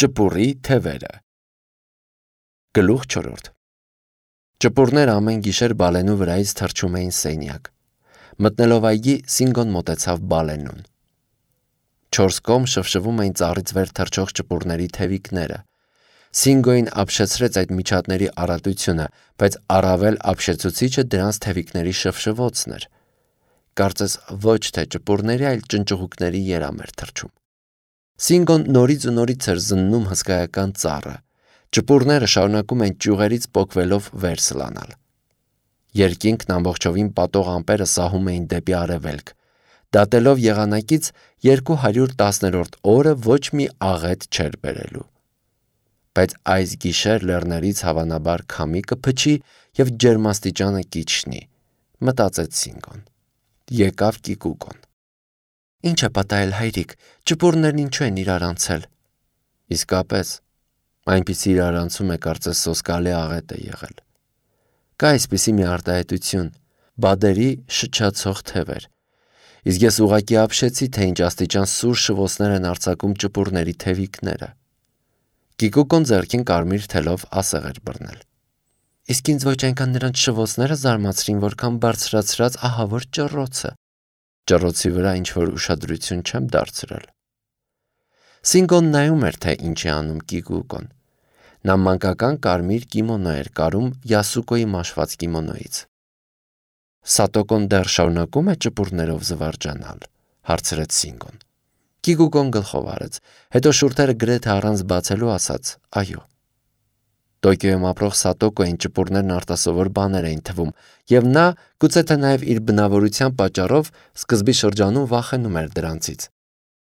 Ճպուռի թևերը։ Գլուխ 4. Ճպուռները ամեն գիշեր Բալենու վրայից թռչում էին սենյակ։ Մտնելով այգի, Սինգոն մոտեցավ Բալենուն։ 4 կողմ շվշվում էին ծառից վեր թռչող ճպուռների թևիկները։ Սինգոին ապշեցրեց այդ միջատների առատությունը, բայց առավել ապշեցուցիչը դրանց թևիկների շվշվոցն էր։ Կարծես ոչ թե ճպուռների, այլ ճնճղուկների երամ էր թռչում։ Սինգոն նորից ու նորից էր զննում հսկայական ծառը։ Ճպուռները շարունակում են ճյուղերից պոկվելով վեր սլանալ։ Երկինքն ամբողջովին պատող ամպերը սահում էին դեպի արևելք։ Դատելով եղանակից 210-րդ օրը ոչ մի աղետ չէր բերելու։ Բայց այս գիշեր լեռներից հավանաբար քամի կփչի և ջերմաստիճանը կիջնի, մտածեց Սինգոն։ Եկավ Կիկուկոն։ Ինչ է պատահել, հայրիկ, ճպուռներն ինչու են իրար անցել։ Իսկապես, այնպիսի իրարանցում է կարծես սոսկալի աղետ է եղել։ Կա այսպիսի մի արտահայտություն՝ բադերի շչացող թևեր։ Իսկ ես ուղղակի ապշեցի, թե ինչ աստիճան սուր շվոցներ են արձակում ճպուռների թևիկները։ Կիկուկոն ձեռքին կարմիր թելով ասեղ էր բռնել։ Իսկ ինձ ոչ այնքան նրանց շվոցները զարմացրին, որքան բարձրացրած ահավոր ճռոցը։ Ճռոցի վրա ինչ-որ ուշադրություն չեմ դարձրել։ Սինգոն նայում էր, թե ինչ է անում Կիկուկոն։ Նա մանկական կարմիր կիմոնո էր կարում Յասուկոյի մաշված կիմոնոից։ Սատոկոն դեռ շարունակում է ճպուռներով զվարճանալ, հարցրեց Սինգոն։ Կիկուկոն գլխով արեց, հետո շուրթերը գրեթե առանց բացելու ասաց. այո։ Տոկիոյում ապրող Սատոկոյին ճպուռներն արտասովոր բաներ էին թվում, և նա, գուցե թե նաև իր բնավորության պատճառով, սկզբի շրջանում վախենում էր դրանցից։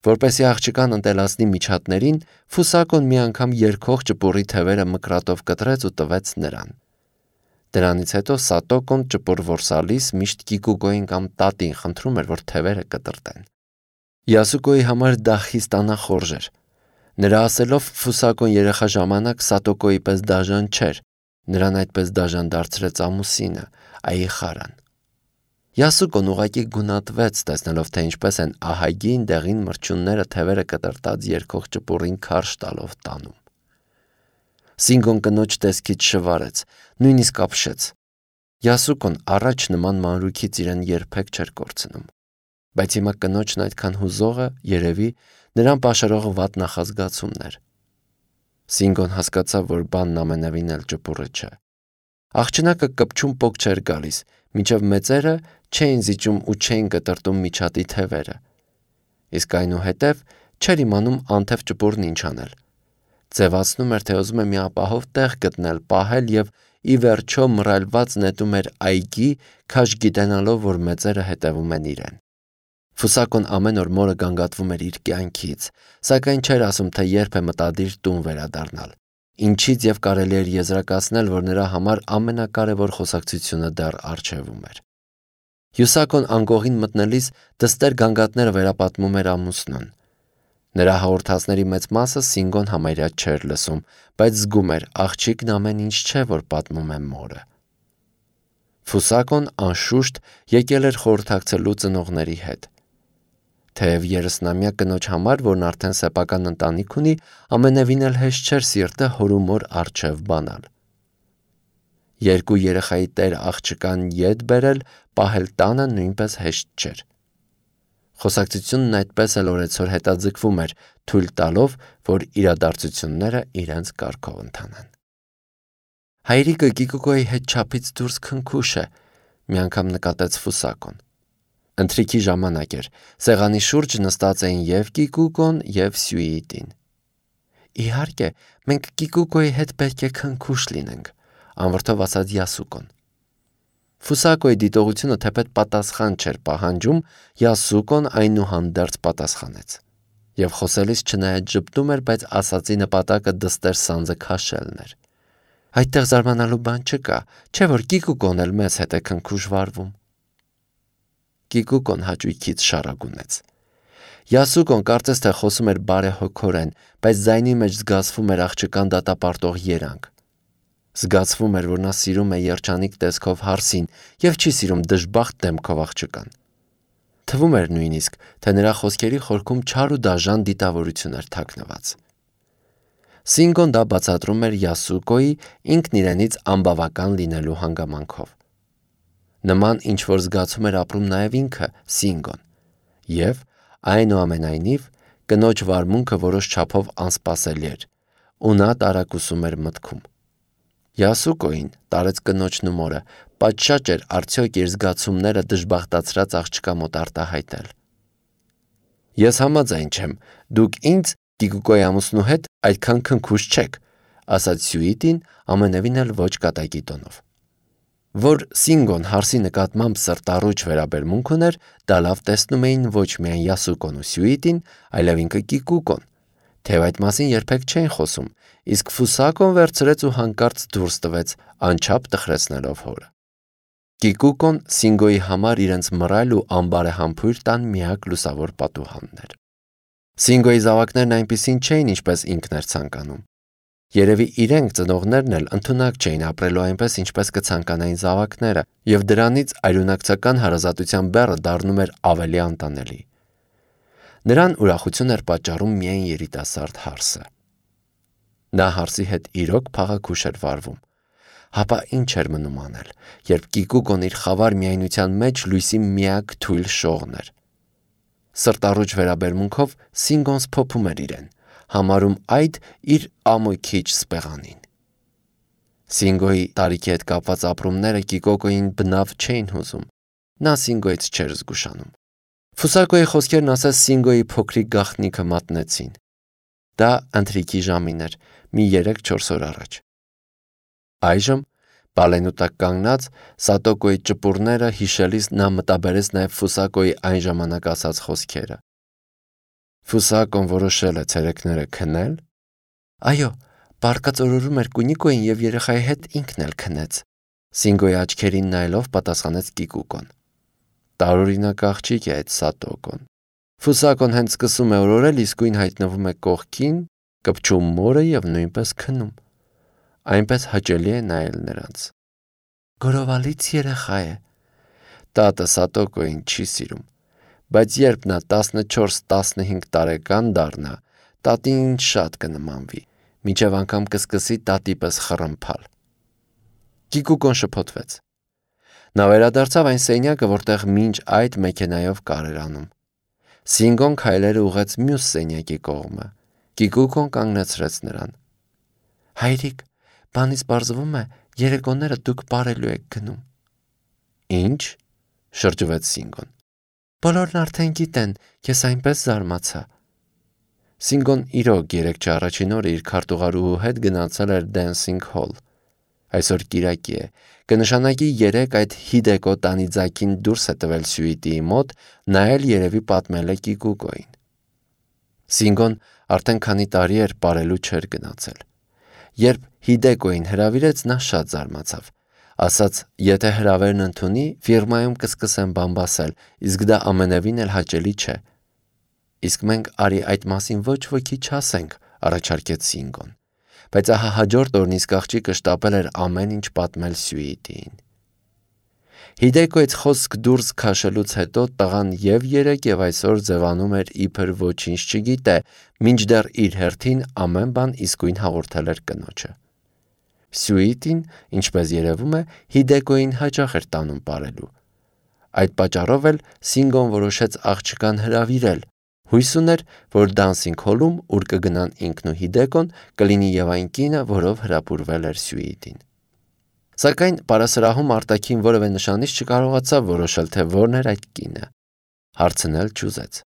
Որպեսզի աղջկան ընտելացնի միջատներին, Ֆուսակոն մի անգամ երգող ճպուռի թևերը մկրատով կտրեց ու տվեց նրան։ Դրանից հետո Սատոկոն ճպուռ որսալիս միշտ Կիկուկոյին կամ տատին խնդրում էր, որ թևերը կտրտեն։ Յասուկոյի համար դա խիստ անախորժ էր։ Նրա ասելով Ֆուսակոն երեխա ժամանակ Սատոկոյի պես դաժան չէր, նրան այդպես դաժան դարձրեց ամուսինը, Աիխարան։ Յասուկոն ուղղակի գունատվեց, տեսնելով, թե ինչպես են ահագին դեղին մրջյունները թևերը կտրտած երգող ճպուռին քարշ տալով տանում։ Սինգոն կնոջ տեսքից շվարեց, նույնիսկ ապշեց։ Յասուկոն առաջ նման մանրուքից իրեն երբեք չէր կորցնում։ Բայց հիմա կնոջն այդքան հուզողը, երևի, նրան պաշարող վատ նախազգացումն էր։ Սինգոն հասկացավ, որ բանն ամենևին էլ ճպուռը չէ։ Աղջնակը կպչում պոկ չէր գալիս, մինչև մեծերը չէին զիջում ու չէին կտրտում միջատի թևերը։ Իսկ այնուհետև չէր իմանում անթև ճպուռն ինչ անել։ Ձևացնում էր, թե ուզում է մի ապահով տեղ գտնել, պահել և ի վերջո մռայլված նետում էր այգի, քաշ գիտենալով, որ մեծերը հետևում են իրեն։ Ֆուսակոն ամեն օր մորը գանգատվում էր իր կյանքից, սակայն չէր ասում, թե երբ է մտադիր տուն վերադառնալ, ինչից և կարելի էր եզրակացնել, որ նրա համար ամենակարևոր խոսակցությունը դեռ առջևում էր։ Յուսակոն անկողին մտնելիս դստեր գանգատները վերապատմում էր ամուսնուն։ Նրա հաղորդածների մեծ մասը Սինգոն համարյա չէր լսում, բայց զգում էր աղջիկն ամեն ինչ չէ, որ պատմում է մորը։ Ֆուսակոն անշուշտ եկել էր խորհրդակցելու ծնողների հետ։ Թեև 30-ամյա կնոջ համար, որն արդեն սեփական ընտանիք ունի, ամենևին էլ հեշտ չէր սիրտը հոր ու մոր առջև բանալ։ 2 երեխայի տեր աղջկան ետ բերել, պահել տանը նույնպես հեշտ չէր։ Խոսակցությունն այդպես էլ օրեցօր հետաձգվում էր, թույլ տալով, որ իրադարձությունները իրենց կարգով ընթանան։ Հայրիկը Կիկուկոյի հետ չափից դուրս քնքուշ է, մի անգամ նկատեց Ֆուսակոն։ Ընթրիքի ժամանակ էր, սեղանի շուրջ նստած էին և Կիկուկոն, և Սյուիտին։ Իհարկե, մենք Կիկուկոյի հետ պետք է քնքուշ լինենք, անվրդով ասաց Յասուկոն։ Ֆուսակոյի դիտողությունը թեպետ պատասխան չէր պահանջում, Յասուկոն այնուհանդերձ պատասխանեց։ Եվ խոսելիս չնայած ժպտում էր, բայց ասածի նպատակը դստեր սանձը քաշելն էր։ Այդտեղ զարմանալու բան չկա, չէ՞ որ Կիկուկոն էլ մեզ հետ է քնքուշ վարվում։ Կիկուկոն հաճույքից շառագունեց։ Յասուկոն կարծես թե խոսում էր բարեհոգորեն, բայց ձայնի մեջ զգացվում էր աղջկան դատապարտող երանգ։ Զգացվում էր, որ նա սիրում է երջանիկ տեսքով հարսին և չի սիրում դժբախտ դեմքով աղջկան։ Թվում էր նույնիսկ, թե նրա խոսքերի խորքում չար ու դաժան դիտավորություն էր թաքնված։ Սինգոն դա բացատրում էր Յասուկոյի ինքն իրենից անբավական լինելու հանգամանքով։ Նման ինչ-որ զգացում էր ապրում նաև ինքը Սինգոն, և այնուամենայնիվ կնոջ վարմունքը որոշ չափով անսպասելի էր, ու նա տարակուսում էր մտքում. Յասուկոին տարեց կնոջն ու մորը, պատշաճ էր արդյոք իր զգացումները դժբախտացրած աղջկա մոտ արտահայտել։ Ես համաձայն չեմ, դուք ինձ Կիկուկոյի ամուսնու հետ այդքան քնքուշ չեք, ասաց Սյուիտին ամենևին էլ ոչ կատակի տոնով։ Որ Սինգոն հարսի նկատմամբ սրտառուչ վերաբերմունք ուներ, դա լավ տեսնում էին ոչ միայն Յասուկոն ու Սյուիտին, այլև ինքը Կիկուկոն, թեև այդ մասին երբեք չէին խոսում, իսկ Ֆուսակոն վերցրեց ու հանկարծ դուրս տվեց, անչափ տխրեցնելով հորը։ Կիկուկոն Սինգոյի համար իրենց մռայլ ու անբարեհամբույր տան միակ լուսավոր պատուհանն էր։ Սինգոյի զավակներն այնպիսին չէին, ինչպես ինքն էր ցանկանում։ Երևի իրենք ծնողներն էլ ընդունակ չէին ապրելու այնպես, ինչպես կցանկանային զավակները, եւ դրանից այլունակցական հարազատության բեռը դառնում էր ավելի անտանելի։ Նրան ուրախություն էր պատճառում միայն երիտասարդ հարսը։ Նա հարսի հետ իրոք փաղաքուշ էր վարվում։ Հապա ինչ էր մնում անել, երբ Կիկուկոն իր խավար միայնության մեջ լույսի միակ թույլ շողն էր։ Սրտառուչ վերաբերմունքով Սինգոն սփոփում էր իրեն, համարում այդ իր ամոքիչ սպեղանին։ Սինգոյի տարիքի հետ կապված ապրումները Կիկուկոյին բնավ չէին հուզում։ Նա Սինգոյից չէր զգուշանում։ Ֆուսակոյի խոսքերն ասես Սինգոյի փոքրիկ գաղտնիքը մատնեցին։ Դա ընթրիքի ժամին էր, մի 3-4 օր առաջ։ Այժմ բալենու տակ կանգնած Սատոկոյի ճպուրները հիշելիս նա մտաբերեց նաև Ֆուսակոյի այն ժամանակ ասած խոսքերը։ Ֆուսակոն որոշել է ցերեկները քնել։ Այո, բարկացորորում էր Կունիկոյին եւ երեխայի հետ ինքն էլ քնեց։ Սինգոյի աչքերին նայելով պատասխանեց Կիկուկոն։ Տարօրինակ աղջիկ է այդ Սատոկոն։ Ֆուսակոն հենց սկսում է օրորել, իսկույն հայտնվում է կողքին, կպչում մորը եւ նույնպես քնում։ Այնպես հաճելի է նայել նրանց։ Գորովալից երեխա է։ Տատը Սատոկոյին չի սիրում, բայց երբ նա 14-15 տարեկան դառնա, տատին շատ կնմանվի, մինչև անգամ կսկսի տատի պես խռմփալ։ Կիկուկոն շփոթվեց։ Նա վերադարձավ այն սենյակը, որտեղ մինչ այդ մեքենայով կար էր անում։ Սինգոն քայլերը ուղղեց մյուս սենյակի կողմը։ Կիկուկոն կանգնեցրեց նրան։ Հայրիկ, բանից պարզվում է, երեկոները դուք պարելու եք գնում։ Ինչ? Շրջվեց Սինգոն։ Բոլորն արդեն գիտեն, ես այնպես զարմացա։ Սինգոն իրոք երեկ առաջին օրը իր քարտուղարուհու հետ գնացել էր Dancing Hall։ Այսօր կիրակի է, կնշանակի երեկ այդ Հիդեկո Տանիձակին դուրս է տվել Սյուիտիի մոտ, նա էլ երևի պատմել է Կիկուկոյին։ Սինգոն արդեն քանի տարի էր պարելու չէր գնացել։ Երբ Հիդեկոյին հրավիրեց, նա շատ զարմացավ։ Ասաց, եթե հրավերն ընդունի, ֆիրմայում կսկսեն բամբասել, իսկ դա ամենևին էլ հաճելի չէ։ Իսկ մենք արի այդ մասին ոչ ոքի չասենք, առաջարկեց Սինգոն։ Բայց ահա հաջորդ օրն իսկ աղջիկը շտապել էր ամեն ինչ պատմել Սյուիտիին։ Հիդեկոյից խոսք դուրս քաշելուց հետո տղան եւ երեկ եւ այսօր ձևանում էր իբր ոչինչ չգիտե, մինչդեռ իր հերթին ամեն բան իսկույն հաղորդել էր կնոջը։ Սյուիտին, ինչպես երևում է, Հիդեկոյին հաճախ էր տանում պարելու։ Այդ պատճառով էլ Սինգոն որոշեց աղջկան հրավիրել։ Հույս ուներ, որ Dancing Hall-ում, ուր կգնան ինքն ու Հիդեկոն, կլինի եւ այն կինը, որով հրապուրվել էր Սյուիտին։ Սակայն պարասրահում արտաքին որևէ նշանից չկարողացավ որոշել, թե որն էր այդ կինը։ Հարցնել չուզեց։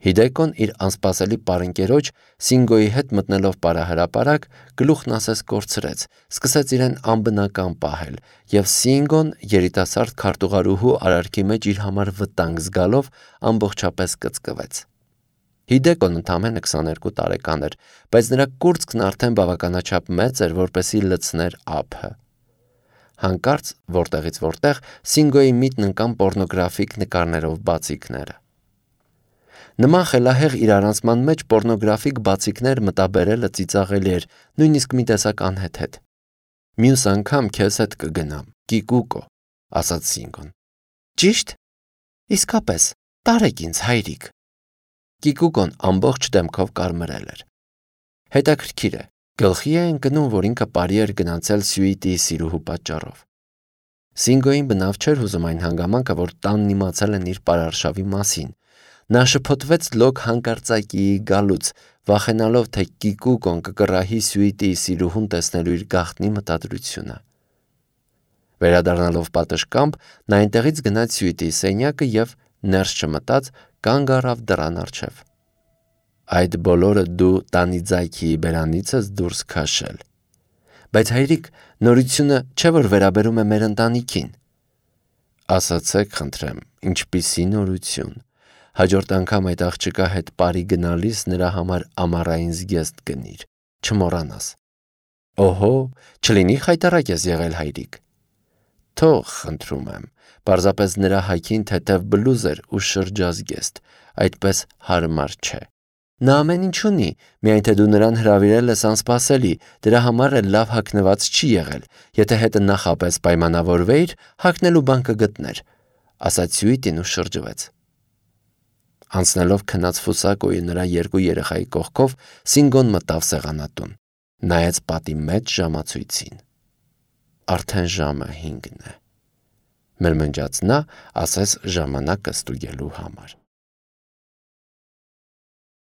Հիդեկոն իր անսպասելի պարընկերոջ Սինգոյի հետ մտնելով պարահրապարակ, գլուխն ասես կորցրեց, սկսեց իրեն անբնական պահել, եւ Սինգոն երիտասարդ քարտուղարուհու արարքի մեջ իր համար վտանգ զգալով ամբողջապես կծկվեց։ Հիդեկոն ընդամենը 22 տարեկան էր, բայց նրա կուրծքն արդեն բավականաչափ մեծ էր, որպեսզի լցներ ափը։ Հանկարծ որտեղից որտեղ Սինգոյի միտն ընկան պոռնոգրաֆիկ նկարներով բացիկները։ Նման խելահեղ իրարանցման մեջ պոռնոգրաֆիկ բացիկներ մտաբերելը ծիծաղելի էր, նույնիսկ մի տեսակ անհեթեթ։ Մյուս անգամ քեզ հետ կգնամ, Կիկուկո, ասաց Սինգոն։ Ճիշտ։ Իսկապես, տարեք ինձ հայրիկ։ Կիկուկոն ամբողջ դեմքով կարմրել էր։ Հետաքրքիր է, գլխի է ընկնում, որ ինքը բարի էր գնացել Սյուիտիի սիրուհու պատճառով։ Սինգոյին բնավ չէր հուզում այն հանգամանքը, որ տանն իմացել են իր պարարշավի մասին։ Նա շփոթվեց լոկ հանկարծակիի գալուց, վախենալով, թե Կիկուկոն կկռահի Սյուիտիի սիրուհուն տեսնելու իր գաղտնի մտադրությունը։ Վերադառնալով պատշգամբ, նա այնտեղից գնաց Սյուիտիի սենյակը և, ներս չմտած, կանգ առավ դռան առջև։ Այդ բոլորը դու Տանիձայքիի բերանից ես դուրս քաշել։ Բայց հայրիկ, նորությունը չէ, որ վերաբերում է մեր ընտանիքին։ Ասացեք, խնդրեմ, ինչպիսի նորություն։ Հաջորդ անգամ այդ աղջկա հետ բարի գնալիս նրա համար ամառային զգեստ գնիր, չմոռանաս։ Օհո, չլինի խայտառակ ես եղել, հայրիկ։ Թող, խնդրում եմ, պարզապես նրա հագին թեթև բլուզեր ու շրջազգեստ, այդպես հարմար չէ։ Նա ամեն ինչ ունի, միայն թե դու նրան հրավիրել ես անսպասելի, դրա համար էլ լավ հագնված չի եղել, եթե հետը նախապես պայմանավորվեիր, հագնելու բան կգտներ, ասաց Սյուիտին ու շրջվեց։ Անցնելով քնած Ֆուսակոյի նրա երկու երեխայի կողքով, Սինգոն մտավ սեղանատուն, նայեց պատի մեջ ժամացույցին։ Արդեն ժամը 5 է, մրմնջաց նա, ասես ժամանակը ստուգելու համար։